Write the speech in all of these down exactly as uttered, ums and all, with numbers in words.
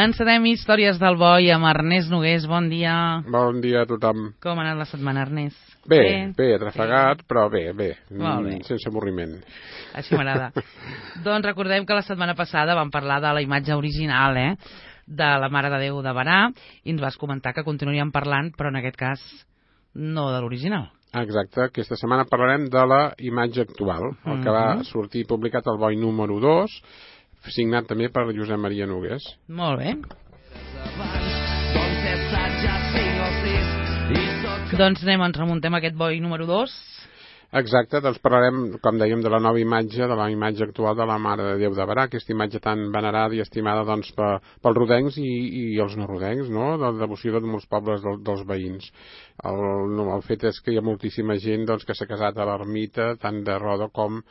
Encetem històries del boi amb Ernest Nogués. Bon dia. Bon dia a tothom. Com ha anat la setmana, Ernest? Bé, bé, bé atrafegat, sí. Però bé, bé, bé, sense avorriment. Així m'agrada. Doncs recordem que la setmana passada vam parlar de la imatge original, eh? de la Mare de Déu de Berà, i ens vas comentar que continuaríem parlant, però en aquest cas no de l'original. Exacte, aquesta setmana parlarem de la imatge actual, el que va sortir publicat al boi número dos, signat també per Josep Maria Nogués. Molt bé. Doncs anem, ens remuntem a aquest boi número dos. Exacte, doncs parlarem, com dèiem, de la nova imatge, de la imatge actual de la Mare de Déu de Berà, aquesta imatge tan venerada i estimada doncs, per, pels rodencs i, i els no rodencs, no? De la devoció de molts pobles del, dels veïns. El, no, el fet és que hi ha moltíssima gent doncs, que s'ha casat a l'ermita, tant de Roda com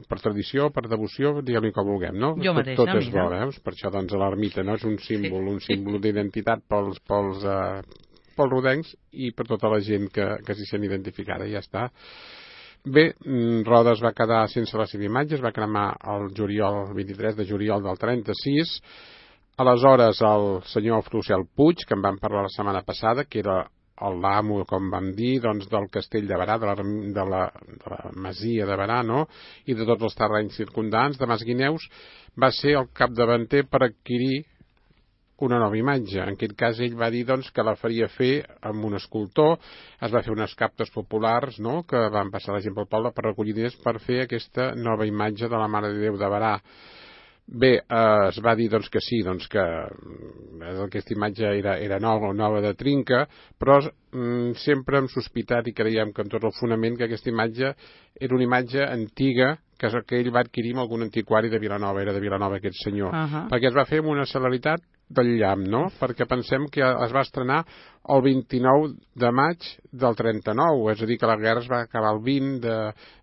per tradició, per devoció, diguem-hi com vulguem, no? Jo mateixa, tot, tot és mira. bo, veus? Per això doncs, l'ermita no? És un símbol, un símbol d'identitat pels, pels, eh, pels rodencs i per tota la gent que, que s'hi sent identificada, i ja està. Bé, Roda es va quedar sense la seva imatge, es va cremar el juliol, el vint-i-tres de juliol del trenta-sis. Aleshores, el senyor Frucel Puig, que en vam parlar la setmana passada, que era l'amo, com vam dir, doncs, del castell de Berà, de la, de la, de la masia de Berà, no? I de tots els terrenys circundants, de Masguineus, va ser el capdavanter per adquirir una nova imatge. En aquest cas ell va dir doncs, que la faria fer amb un escultor, es va fer unes captes populars, no?, que van passar la gent pel poble per recollir diners per fer aquesta nova imatge de la Mare de Déu de Berà. Bé, eh, es va dir doncs, que sí, doncs, que aquesta imatge era, era nova, nova de trinca, però mm, sempre hem sospitat i creiem que amb tot el fonament que aquesta imatge era una imatge antiga que, que ell va adquirir amb algun antiquari de Vilanova, era de Vilanova aquest senyor, uh -huh. perquè es va fer amb una celeritat del llamp, no? Perquè pensem que es va estrenar el vint-i-nou de maig del trenta-nou, és a dir, que la guerra es va acabar el vint de...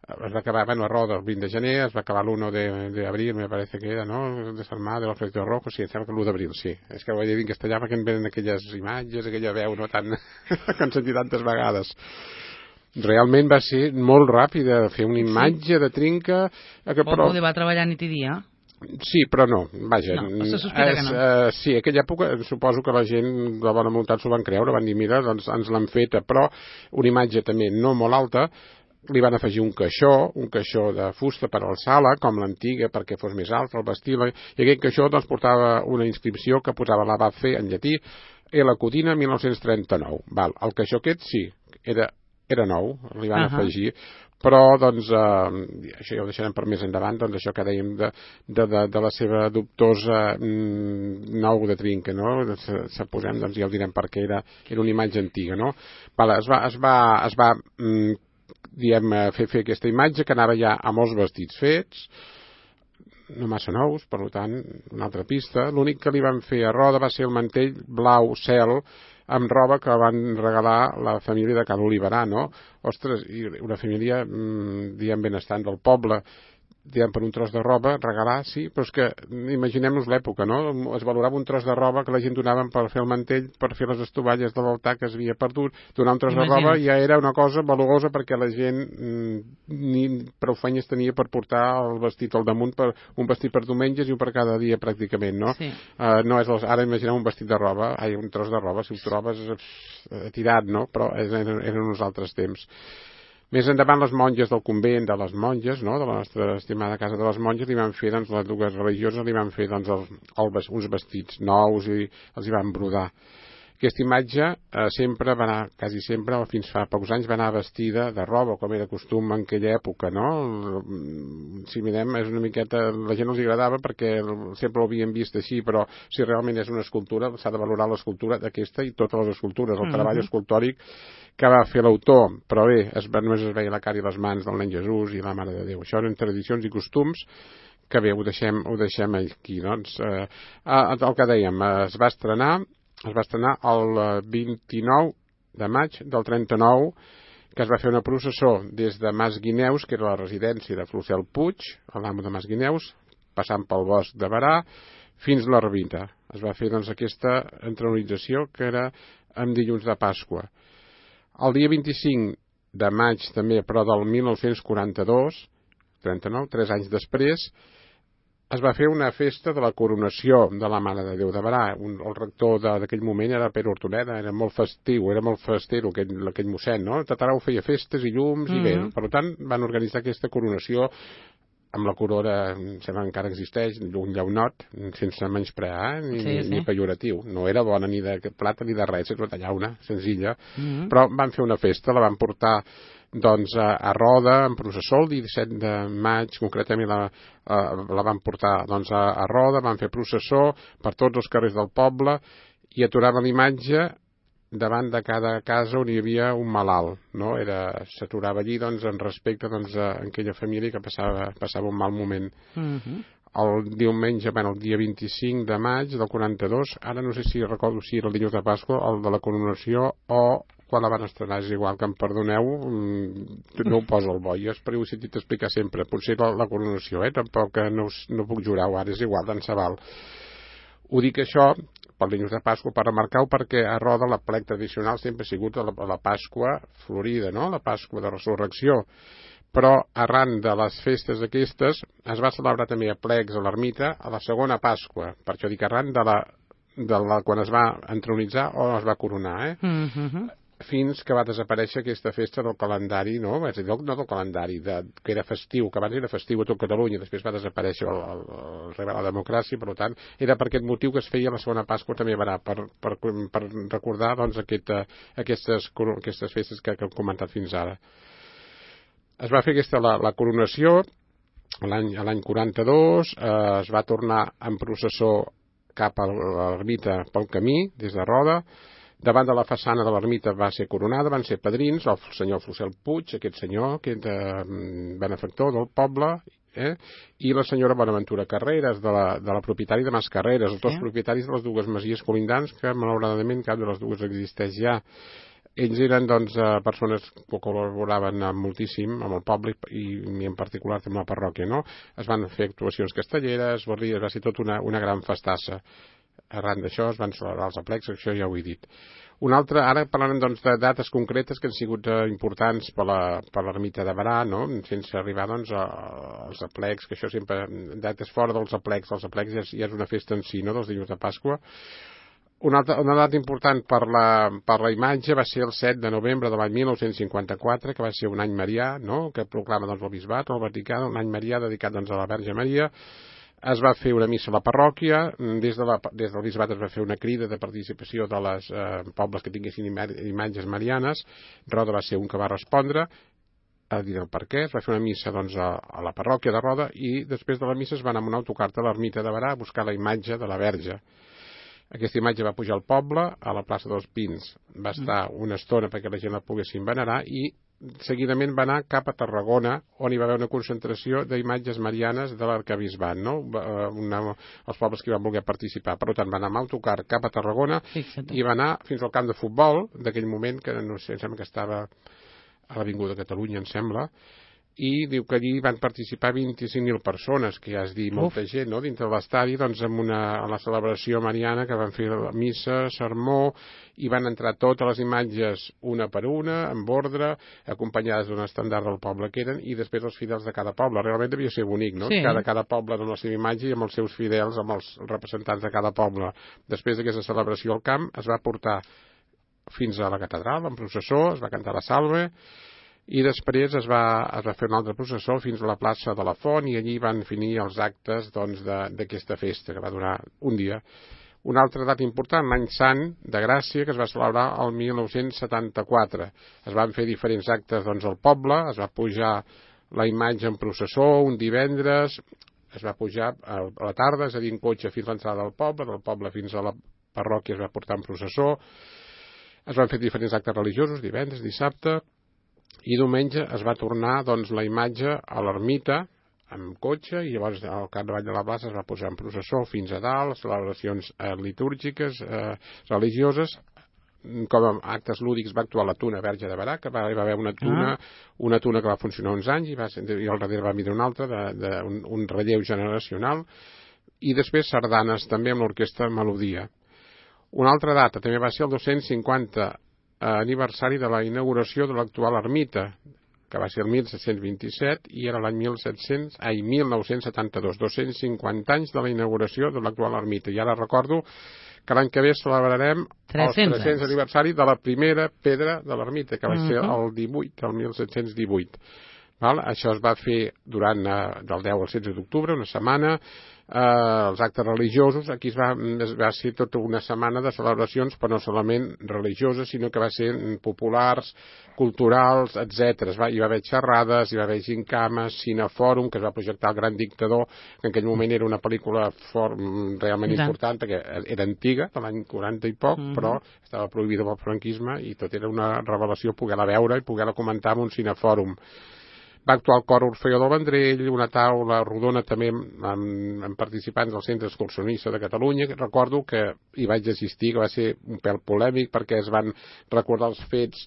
es va acabar, bueno, a Roda el vint de gener, es va acabar l'u de abril, me parece que era, no?, de Sant Mar, de l'Ofrecito Rojo, sí, em sembla que l'u d'abril, sí. És que ho he dit en castellà perquè em venen aquelles imatges, aquella veu, no?, tan... que han sentit tantes vegades. Realment va ser molt ràpida, fer una imatge sí. de trinca... Que, però... Poder va treballar nit i dia. Sí, però no, vaja. No, se sospita que no. Uh, sí, aquella època suposo que la gent de bona voluntat s'ho van creure, van dir, mira, doncs ens l'han feta, però una imatge també no molt alta, li van afegir un caixó, un caixó de fusta per alçar-la, com l'antiga, perquè fos més alt, el vestir-la, i aquest caixó doncs, portava una inscripció que posava la va fer en llatí, e la Codina mil nou-cents trenta-nou. Val, el caixó aquest sí, era, era nou, li van uh -huh. afegir, però doncs eh, això ja ho deixarem per més endavant, doncs això que dèiem de, de, de, de la seva dubtosa mm, nou de trinca, no? Se, se posem, doncs ja ho direm perquè era, era una imatge antiga, no? Vale, es va, es va, es va mm, diem, fer, fer aquesta imatge que anava ja a molts vestits fets, no massa nous, per tant, una altra pista. L'únic que li van fer a Roda va ser el mantell blau cel amb roba que van regalar la família de Cal Oliverà, no? Ostres, i una família, mmm, diem, benestant del poble, diem, per un tros de roba, regalar, sí, però és que imaginem-nos l'època, no? Es valorava un tros de roba que la gent donaven per fer el mantell, per fer les estovalles de l'altar que es havia perdut. Donar un tros Imagina. de roba ja era una cosa valuosa perquè la gent mm, ni prou feines tenia per portar el vestit al damunt, per, un vestit per diumenges i un per cada dia pràcticament, no? Sí. Uh, no és els, ara imaginem un vestit de roba, ai, un tros de roba, si ho trobes eh, tirat, no? Però eren, eren uns altres temps. Més endavant, les monges del convent de les monges, no?, de la nostra estimada casa de les monges, li van fer, doncs, les dues religioses li van fer, doncs, el, el, uns vestits nous i els hi van brodar. Aquesta imatge eh, sempre va anar, quasi sempre, fins fa pocs anys, va anar vestida de roba, com era costum en aquella època, no? Si mirem, és una miqueta... La gent els agradava perquè sempre ho havien vist així, però si realment és una escultura, s'ha de valorar l'escultura d'aquesta i totes les escultures, el mm-hmm. treball escultòric que va fer l'autor, però bé, es, només es veia la cara i les mans del nen Jesús i la Mare de Déu. Això eren tradicions i costums que bé, ho deixem, ho deixem aquí, doncs. Eh, el que dèiem, es va estrenar es va estrenar el vint-i-nou de maig del trenta-nou, que es va fer una processó des de Masguineus, que era la residència de Frucel Puig, l'amo de Masguineus, passant pel bosc de Berà, fins a l'ermita. Es va fer doncs, aquesta entronització, que era en dilluns de Pasqua. El dia vint-i-cinc de maig, també, però del mil nou-cents quaranta-dos, trenta-nou, tres anys després, es va fer una festa de la coronació de la Mare de Déu de Berà. Un, el rector d'aquell moment era Pere Hortoneda, era molt festiu, era molt festero aquell, aquell mossèn, no? Tatarau feia festes i llums, mm-hmm. i bé, per tant van organitzar aquesta coronació amb la corona, em sembla que encara existeix, un llaunot, sense menysprear, ni, sí, sí. ni pejoratiu. No era bona ni de plata ni de res, és una llauna senzilla, mm-hmm. però van fer una festa, la van portar doncs a, a Roda, en processó, el disset de maig, concretament la, a, la van portar doncs, a, a Roda, van fer processó per tots els carrers del poble i aturava l'imatge davant de cada casa on hi havia un malalt, no? Era, s'aturava allí doncs, en respecte doncs, a aquella família que passava, passava un mal moment. Mm-hmm. El diumenge, bueno, el dia vint-i-cinc de maig del quaranta-dos, ara no sé si recordo si era el dilluns de Pasqua, el de la coronació o quan la van estrenar, és igual, que em perdoneu, no ho poso al bo, jo espero ho he sentit explicar sempre, potser la, la coronació, eh? Tampoc no, no puc jurar-ho ara, és igual, tant se val. Ho dic això pel dilluns de Pasqua per remarcar-ho perquè a Roda la plec tradicional sempre ha sigut la, la Pasqua florida, no? La Pasqua de Resurrecció. Però arran de les festes aquestes es va celebrar també a plecs a l'ermita a la segona Pasqua, per això dic arran de la, de la quan es va entronitzar o es va coronar, eh? Mm-hmm. Fins que va desaparèixer aquesta festa del calendari, no? És a dir, no del calendari, de, que era festiu, que abans era festiu a tot Catalunya, després va desaparèixer el, el, el rei de la democràcia, per tant, era per aquest motiu que es feia la segona Pasqua també a Berà, per, per, per recordar doncs, aquest, aquestes, aquestes festes que, que hem comentat fins ara. Es va fer aquesta, la, la coronació, l'any quaranta-dos, eh, es va tornar en processó cap a l'ermita pel camí, des de Roda. Davant de la façana de l'ermita va ser coronada, van ser padrins, el senyor Fussel Puig, aquest senyor, que és de benefactor del poble, eh? I la senyora Bonaventura Carreras, de la, de la propietària de Mas Carreras, els dos sí. propietaris de les dues masies colindants, que malauradament cap de les dues existeix ja. Ells eren doncs, persones que col·laboraven moltíssim amb el poble i, i en particular amb la parròquia, no? Es van fer actuacions castelleres, barries, va ser tot una, una gran festassa. Arran d'això es van celebrar els aplecs, això ja ho he dit. Un altre, ara parlarem doncs, de dates concretes que han sigut eh, importants per l'ermita de Berà, no? Sense arribar doncs, a, als aplecs, que això sempre, dates fora dels aplecs, els aplecs ja, ja és una festa en si, no?, dels dilluns de Pasqua. Una, altra, una data important per la, per la imatge va ser el set de novembre de l'any mil nou-cents cinquanta-quatre, que va ser un any marià, no?, que proclama doncs, el bisbat, el Vaticà, un any marià dedicat doncs, a la Verge Maria. Es va fer una missa a la parròquia, des, de la, des del bisbat es va fer una crida de participació de les eh, pobles que tinguessin imatges marianes. Roda va ser un que va respondre, a dir el per què. Es va fer una missa doncs, a, a la parròquia de Roda i després de la missa es va anar amb un autocar a l'ermita de Berà a buscar la imatge de la Verge. Aquesta imatge va pujar al poble, a la plaça dels Pins. Va estar una estona perquè la gent la poguessin venerar i seguidament va anar cap a Tarragona, on hi va haver una concentració d'imatges marianes de l'arcabisbat, no? Una, els pobles que hi van voler participar. Per tant, va anar amb autocar cap a Tarragona Fixa't. I va anar fins al camp de futbol d'aquell moment, que no sé, em sembla que estava a l'Avinguda Catalunya, em sembla, i diu que allí van participar vint-i-cinc mil persones, que ja és dir molta Uf. gent, no?, dintre de l'estadi, doncs amb una, a la celebració mariana que van fer la missa, sermó, i van entrar totes les imatges una per una, amb ordre, acompanyades d'un estendard del poble que eren, i després els fidels de cada poble. Realment devia ser bonic, no?, sí. Cada, cada poble amb la seva imatge i amb els seus fidels, amb els representants de cada poble. Després d'aquesta celebració al camp es va portar fins a la catedral, en processó, es va cantar la salve, i després es va, es va fer un altre processó fins a la plaça de la Font i allí van finir els actes doncs, d'aquesta festa, que va durar un dia. Una altra data important, l'any Sant de Gràcia, que es va celebrar el mil nou-cents setanta-quatre. Es van fer diferents actes doncs, al poble, es va pujar la imatge en processó un divendres, es va pujar a la tarda, és a dir, en cotxe fins a l'entrada del poble, del poble fins a la parròquia es va portar en processó, es van fer diferents actes religiosos, divendres, dissabte, i diumenge es va tornar doncs, la imatge a l'ermita amb cotxe i llavors al capdavall de la plaça es va posar en processó fins a dalt, celebracions eh, litúrgiques, eh, religioses, com a actes lúdics va actuar la Tuna Verge de Berà, que va, va haver una tuna, ah. una tuna que va funcionar uns anys i, va, i al darrere va mirar una altra, de, de, un, un relleu generacional, i després sardanes també amb l'orquestra Melodia. Una altra data també va ser el dos-cents cinquanta aniversari de la inauguració de l'actual ermita, que va ser el mil set-cents vint-i-set, i era l'any mil set-cents, ai, mil nou-cents setanta-dos, dos-cents cinquanta anys de la inauguració de l'actual ermita. I ara recordo que l'any que ve celebrarem el tres-cents aniversari de la primera pedra de l'ermita, que va ser el divuit, el mil set-cents divuit. Val? Això es va fer durant eh, del deu al setze d'octubre, una setmana. Eh, els actes religiosos, aquí es va, es va ser tota una setmana de celebracions, però no solament religioses, sinó que va ser populars, culturals, etcètera. Va, hi va haver xerrades, hi va haver gincames, cinefòrum, que es va projectar El gran dictador, que en aquell moment era una pel·lícula for, realment important, perquè era antiga, de l'any quaranta i poc, mm-hmm. però estava prohibida pel franquisme, i tot era una revelació poder-la veure i poder-la comentar en un cinefòrum. Va actuar el cor Orfeo del Vendrell, una taula rodona també amb, amb participants del Centre Excursionista de Catalunya. Recordo que hi vaig assistir, que va ser un pèl polèmic, perquè es van recordar els fets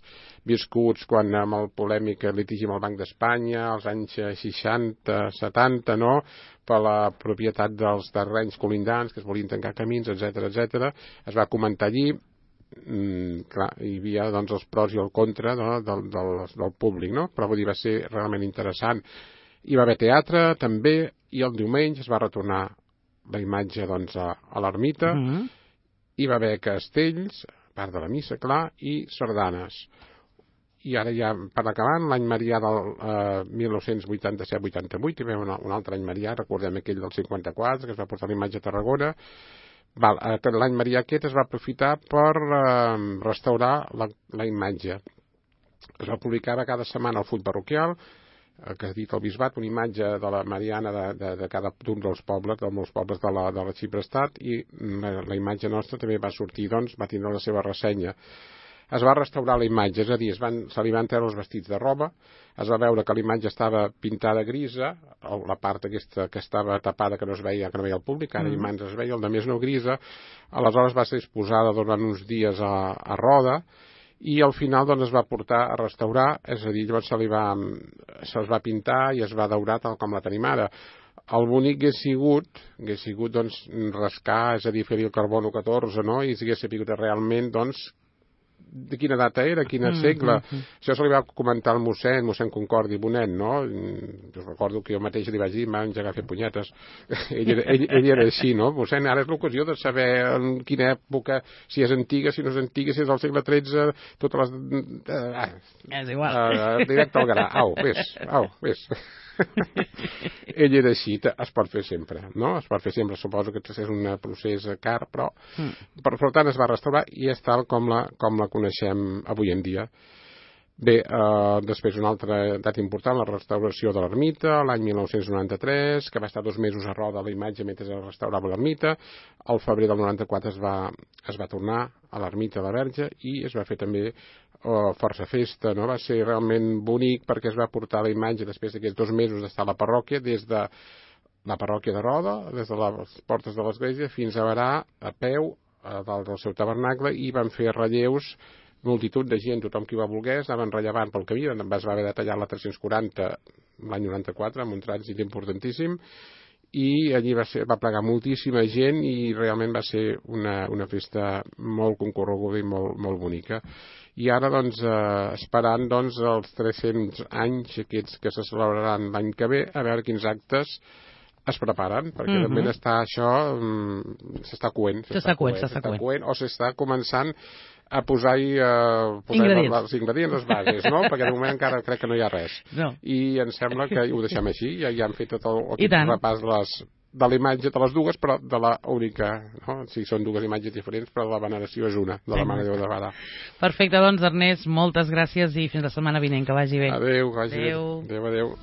viscuts quan amb el polèmic litigi amb el Banc d'Espanya, als anys seixanta, setanta, no?, per la propietat dels terrenys colindants, que es volien tancar camins, etcètera, etcètera. Es va comentar allí. Mm, clar, hi havia doncs els pros i el contra no, del, del, del públic, no? Però vull dir, va ser realment interessant. Hi va haver teatre també, i el diumenge es va retornar la imatge doncs, a, a l'ermita. Mm-hmm. Hi va haver castells, part de la missa, clar, i sardanes. I ara ja, per acabar, l'any marià del eh, mil nou-cents vuitanta-set vuitanta-vuit, hi va haver un, un altre any marià, recordem aquell del cinquanta-quatre, que es va portar la imatge a Tarragona. Val, l'any marià aquest es va aprofitar per eh, restaurar la, la imatge. Es va publicar cada setmana al full parroquial, eh, que ha dit el bisbat, una imatge de la Mariana de, de, de cada un dels pobles, de molts pobles de la, de la Xiprestat, i la, la imatge nostra també va sortir, doncs, va tindre la seva ressenya. Es va restaurar la imatge, és a dir, es van, se li van treure els vestits de roba, es va veure que la imatge estava pintada grisa, la part aquesta que estava tapada que no es veia, que no veia el públic, ara mm. i mans es veia, el de més no grisa, aleshores va ser exposada durant uns dies a, a roda, i al final doncs, es va portar a restaurar, és a dir, llavors se li va, se'ls va pintar i es va daurar tal com la tenim ara. El bonic hagués sigut, hagués sigut doncs, rascar, és a dir, fer-hi el carbono catorze, no? I s'hagués sabut realment, doncs, de quina data era, quin segle. Mm, mm, mm. Això se li va comentar al mossèn, mossèn Concordi Bonet, no? Jo recordo que jo mateix li vaig dir, em va engegar a fer punyetes. ell, era, ell, ell era així, no? Mossèn, ara és l'ocasió de saber en quina època, si és antiga, si no és antiga, si és del segle tretze, totes les... Uh, és igual. Uh, directe al gra. Au, vés, au, vés. Ell era així, es pot fer sempre, no? Es pot fer sempre, suposo que és un procés car, però mm. per, per tant es va restaurar i és tal com la, com la coneixem avui en dia. Bé, eh, després una altra data important, la restauració de l'ermita, l'any mil nou-cents noranta-tres, que va estar dos mesos a roda la imatge mentre es restaurava l'ermita. Al febrer del noranta-quatre es va, es va tornar a l'ermita de la Verge i es va fer també eh, força festa, no? Va ser realment bonic perquè es va portar la imatge després d'aquests dos mesos d'estar a la parròquia, des de la parròquia de Roda, des de les portes de l'església fins a Berà, a peu, a dalt del seu tabernacle, i van fer relleus, multitud de gent, tothom qui va volgués, anaven rellevant pel camí, es va haver de tallar la tres-cents quaranta l'any noranta-quatre, amb un trànsit importantíssim, i allí va, ser, va plegar moltíssima gent i realment va ser una, una festa molt concorreguda i molt, molt bonica. I ara, doncs, eh, esperant doncs, els tres-cents anys aquests que se celebraran l'any que ve, a veure quins actes es preparen, perquè mm-hmm. també està això, mm, s'està coent, s'està coent, s'està coent, o s'està començant a posar-hi uh, posar ingredients. els ingredients, les bases, no? Perquè de moment encara crec que no hi ha res. No. I em sembla que ho deixem així, ja, ja han fet tot el, el repàs de, les, de la imatge de les dues, però de la única, no? Sí, són dues imatges diferents, però la veneració és una, de la Mare de Déu de Berà. Perfecte, doncs, Ernest, moltes gràcies i fins la setmana vinent, que vagi bé. Adéu, que vagi bé. Adéu, adéu.